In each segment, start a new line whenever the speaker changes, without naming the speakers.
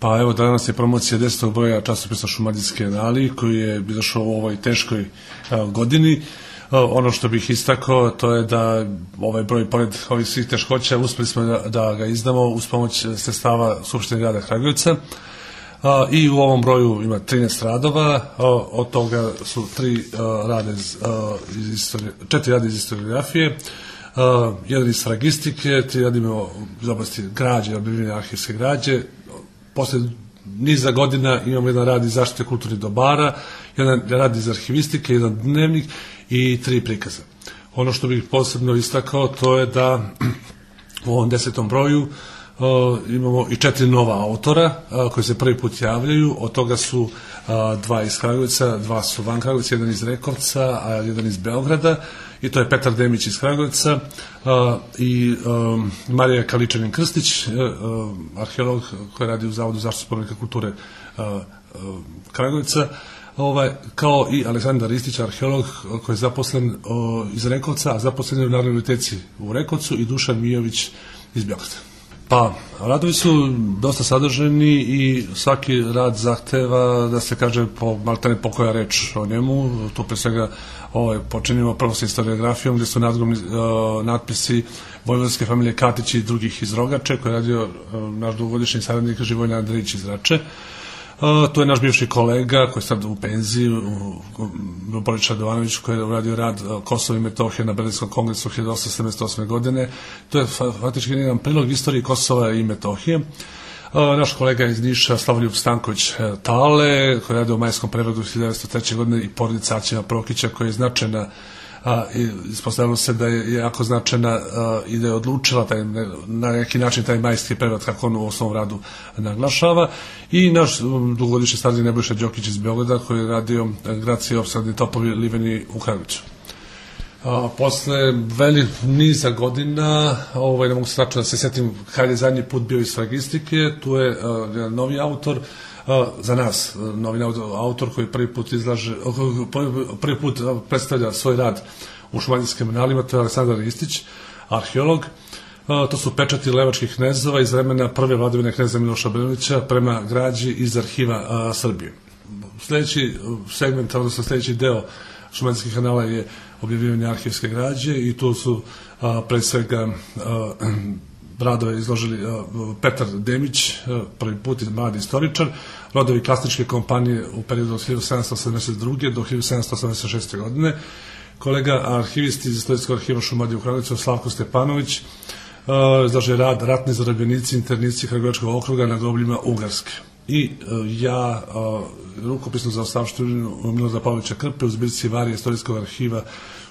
Pa evo, danas je promocija 10. broja časopisa Šumadijske anali koji je izašao u ovoj teškoj godini. Ono što bih istakao to je da ovaj broj, pored ovih svih teškoća, uspeli smo da ga izdamo uz pomoć sredstava Skupštine grada Kragujevca. I u ovom broju ima 13 radova, od toga su 4 rada iz historiografije, jedan iz fragistike, 3 radimo iz oblasti građe, objavljivanja arhivske građe. Posle niza godina imamo jedan rad iz zaštite kulturnih dobara, jedan rad iz arhivistike, jedan dnevnik i 3 prikaza. Ono što bih posebno istakao to je da u ovom 10. broju imamo i 4 nova autora koji se prvi put javljaju. Od toga su 2 iz Kragujevca, 2 su van Kragujevca, jedan iz Rekovca, a jedan iz Beograda, i to je Petar Demić iz Kragujevca i Marija Kaličanin-Krstić, arheolog koji radi u Zavodu zaštitu spomenika kulture Kragujevca, kao i Aleksandar Ristić, arheolog koji je zaposlen iz Rekovca, a zaposlen je u Narodnoj biblioteci u Rekovcu, i Dušan Mijović iz Beograda. Pa, radovi su dosta sadrženi i svaki rad zahteva da se kaže maltene po koja reč o njemu. Tu pre svega počinimo prvo sa historiografijom, gde su natpisi vojvodske familije Katić i drugih iz Rogače, koji je radio naš dugogodišnji saradnik Živojin Andrejić iz Rače. Tu je naš bivši kolega koji je sad u penziji, Borić Radovanović, koji je uradio rad Kosovo i Metohije na Berlinskom kongresu 1878. godine. To je faktički jedan prilog istoriji Kosova i Metohije. Naš kolega iz Niša, Slavoljub Stanković Tale, koji je radio u majskom prerodu 1903. godine, i porodica Aćima Prokića, koja je značajna, ispostavilo se da je jako značajna i da je odlučila na neki način taj majski prevod, kako on u osnovom radu naglašava, i naš dugogodišnji saradnik Nebojša Đokić iz Beograda, koji je radio Gracije, opsadni topovi, liveni u Kragujevcu. Posle niza godina, ne mogu se tačno da se setim kada je zadnji put bio iz fragistike, tu je jedan novi autor, za nas novi autor koji prvi put predstavlja svoj rad u Šumadijskim analima, to je Aleksandar Ristić, arheolog. To su pečati levačkih knezova iz vremena prve vladavine kneza Miloša Obrenovića prema građi iz arhiva Srbije. Sledeći segment, odnosno sledeći deo Šumadijskih anala je objavljivanje arhivske građe, i tu su pre svega radove izložili Petar Demić, prvi put mladi istoričar, rodovi Klasničke kompanije u periodu od 1782. do 1786. godine, kolega arhivist iz Istorijskog arhiva Šumadije u Kragujevcu Slavko Stepanović izložio rad Ratni zarobljenici, internici Kragujevačkog okruga na grobljima Ugarske. I ja rukopisnu zaostavštinu Milorada Pavlovića Krpe u zbirci Varije Istorijskog arhiva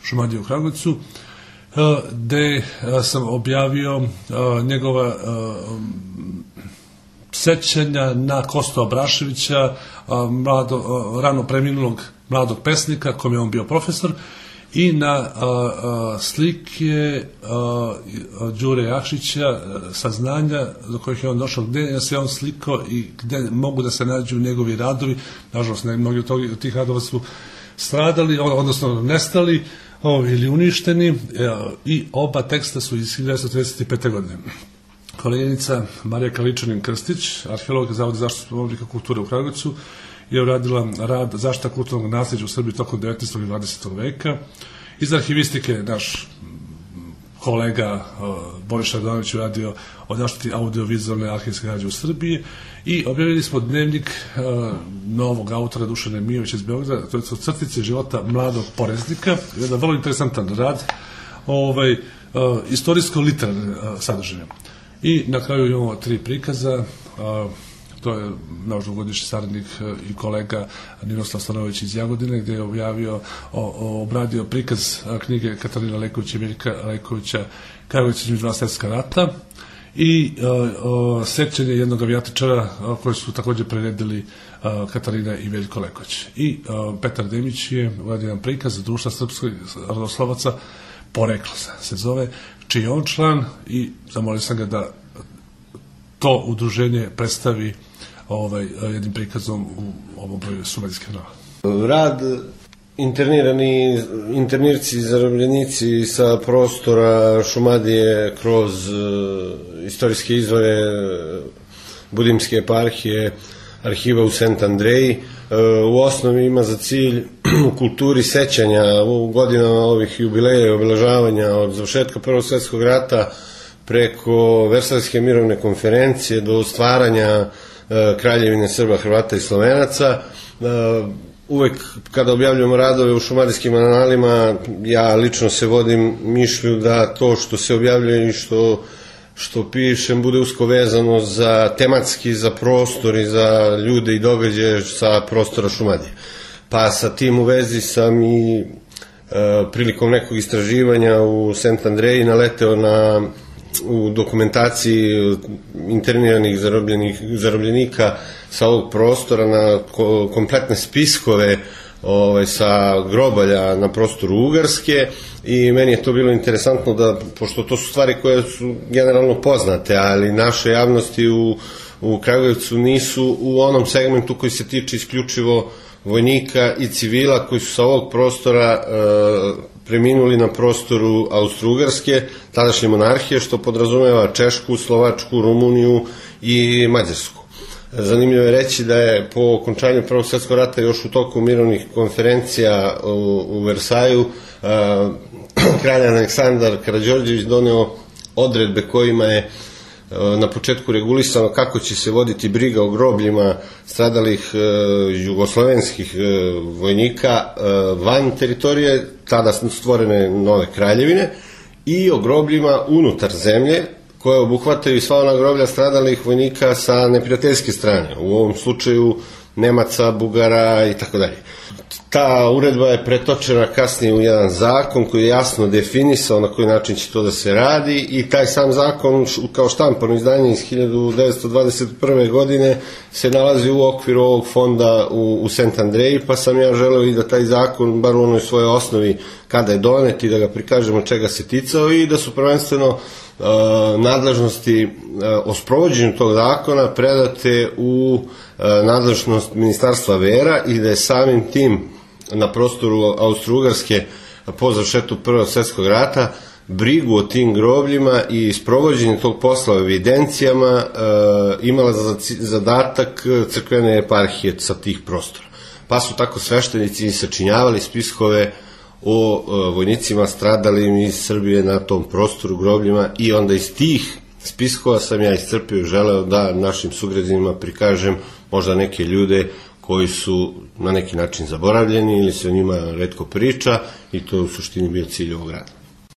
Šumadije u Kragujevcu, gde sam objavio njegova sećanja na Kostu Abraševića, rano preminulog mladog pesnika, kom je on bio profesor, i na slike Đure Jakšića, saznanja do kojih je on došao, gde se on slikao i gde mogu da se nađu njegovi radovi. Nažalost, mnogi od tih radova su stradali, odnosno nestali ili uništeni, i oba teksta su iz 1935. godine. Koleginica Marija Kaličanin-Krstić, arheolog Zavoda zaštitu spomenika kulture u Kragujevcu, je uradila rad Zaštita kulturnog nasleđa u Srbiji tokom 19. i 20. veka. Iz arhivistike naš kolega Borić Radovanović uradio o zaštiti audiovizualne arhivske građe u Srbiji, i objavili smo dnevnik novog autora Dušana Mijovića iz Beograda, to su crtice života mladog poreznika, jedan vrlo interesantan rad, istorijsko-literarne sadržine. I na kraju imamo 3 prikaza. To je naš dugogodišnji saradnik i kolega Ninoslav Stanojević iz Jagodine, gde je obradio prikaz knjige Katarina Lejkovića i Veljka Lejkovića Kragujevac između 2 svjetska rata, i sećanje jednog avijatičara koji su takođe priredili Katarina i Veljko Lejković. I Petar Demić je uradio jedan prikaz Društva srpskih rodoslovaca Poreklo se zove, čiji je on član, i zamolio sam ga da to udruženje predstavi jednim prikazom u ovom broju Šumadijskih anala.
Rad internirci, zarobljenici sa prostora Šumadije kroz istorijske izvore Budimske eparhije, arhiva u Sent Andreji. U osnovi ima za cilj u kulturi sećanja u godinama ovih jubileja i obeležavanja od završetka Prvog svjetskog rata preko Versajske mirovne konferencije do stvaranja Kraljevine Srba, Hrvata i Slovenaca. Uvek kada objavljujemo radove u šumadijskim analima, ja lično se vodim mišlju da to što se objavljuje i što pišem bude usko vezano za tematski, za prostor i za ljude i događaje sa prostora Šumadije. Pa sa tim u vezi sam i prilikom nekog istraživanja u Sent Andreji naleteo u dokumentaciji interniranih zarobljenika sa ovog prostora na kompletne spiskove sa grobalja na prostoru Ugarske i meni je to bilo interesantno da, pošto to su stvari koje su generalno poznate, ali naše javnosti u Kragujevcu nisu u onom segmentu koji se tiče isključivo vojnika i civila koji su sa ovog prostora preminuli na prostoru Austro-Ugarske, tadašnje monarhije, što podrazumeva Češku, Slovačku, Rumuniju i Mađarsku. Zanimljivo je reći da je po okončanju Prvog svjetskog rata još u toku mirovnih konferencija u Versaju kralj Aleksandar Karađorđević doneo odredbe kojima je na početku regulisano kako će se voditi briga o grobljima stradalih jugoslovenskih vojnika van teritorije, tada stvorene nove kraljevine, i o grobljima unutar zemlje, koje obuhvataju sva ona groblja stradalih vojnika sa neprijateljske strane, u ovom slučaju Nemaca, Bugara i tako dalje. Ta uredba je pretočena kasnije u jedan zakon koji je jasno definisao na koji način će to da se radi i taj sam zakon kao štampano izdanje iz 1921. godine se nalazi u okviru ovog fonda u Sent Andreji, pa sam ja želeo i da taj zakon, bar u onoj svojoj osnovi kada je donet, i da ga prikažemo čega se ticao i da su prvenstveno nadležnosti o sprovođenju tog zakona predate u nadležnost Ministarstva vera i da je samim tim na prostoru Austro-Ugarske po završetku Prvog svjetskog rata brigu o tim grobljima i sprovođenje tog posla u evidencijama imala za zadatak crkvene eparhije sa tih prostora. Pa su tako sveštenici sačinjavali spiskove o vojnicima stradalim iz Srbije na tom prostoru, grobljima, i onda iz tih spiskova sam ja iscrpio i želeo da našim sugrađanima prikažem možda neke ljude koji su na neki način zaboravljeni ili se o njima retko priča, i to je u suštini bio cilj ovog rada.